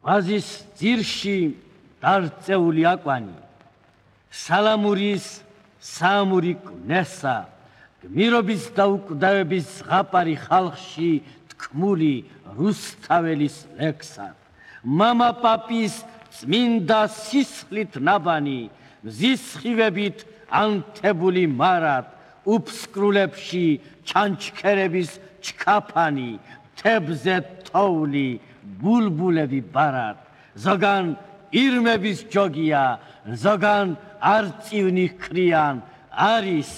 ვაზის ძირში დარწეული აკვანი სალამურის საამური კვნესა გმირობის და უკვდავების ზღაპარი ხალხში თქმული რუსთაველის ლექსა მამა პაპის წმინდა სისხლით ნაბანი მზის სხივებით ანთებული მარად უფსკრულებში ჩანჩქერების ჩქაფანი თებზე თოვლი ბულბულები ბარად ზოგან ირმების ჯოგია ზოგან არწივნი ქრიან არის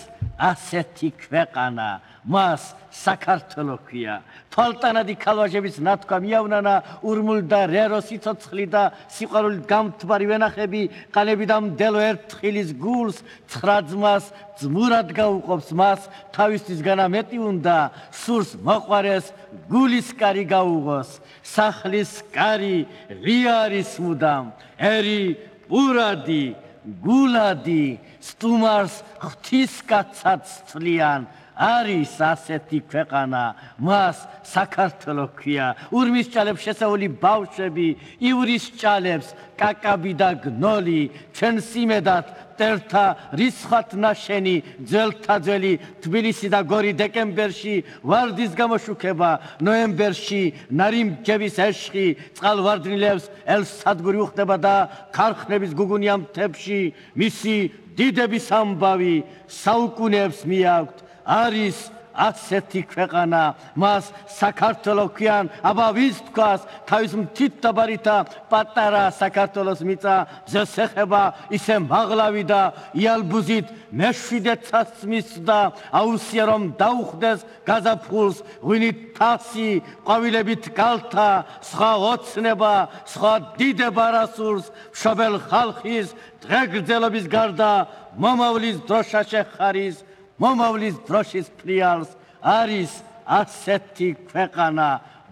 ასეთი ქვეყანა მას საქართველო ქვია თვალტანადი ქალვაჟების ნათქვა მიავნანა ურმულ და რერო სიცოცხლი და სიყვარულით გამთბარი ვენახები ყალები და მდელო ერთხილის გულს ცხრა ძმას ძმურად გაუყოფს მას თავისთვის განა მეტი უნდა სურს მოყვარეს გულის კარი გაუღოს სახლის კარი ღია არის მუდამ ერი პურადი გულადი სტუმარს ღვთისკაცად ცვლიან არის ასეთი ქვეყანა მას საქართველო ქვია ურმის ჭალებს შესეული ბავშვები ივრის ჭალებს კაკაბი და გნოლი ჩვენ სიმედად მტერთა რისხათ ნაშენი ძველთა ძველი თბილისი და გორი დეკემბერში ვარდის გამოშუქება ნოემბერში ნარიმჯების ეშხი წყალვარდნილებს ელსადგური უხდება და ქარხნების გუგუნია მთებში მისი დიდების ამბავი საუკუნეებს მიაქვთ არის ასეთი ქვეყანა მას საქართველო ქვიან აბა ვის თქვას თავის მთით დაბარითა პატარა საქართველოს მიწა მზეს ეხება ისე მაღლავი და იალბუზით მეშვიდე ცაცმის და აუცია რომ დაუხდეს გაზაფხულს ღვინით თასი ყვავილებით კალთა სხვა ოცნება სხვა დიდება რასურს მშობელ ხალხის დღეგრძელობის გარდა მომავლის დროშა შეხარის მომავლის დროშის ფრიალს არის ასეთი ქვეყანა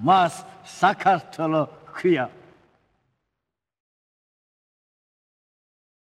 მას საქართველო ქვია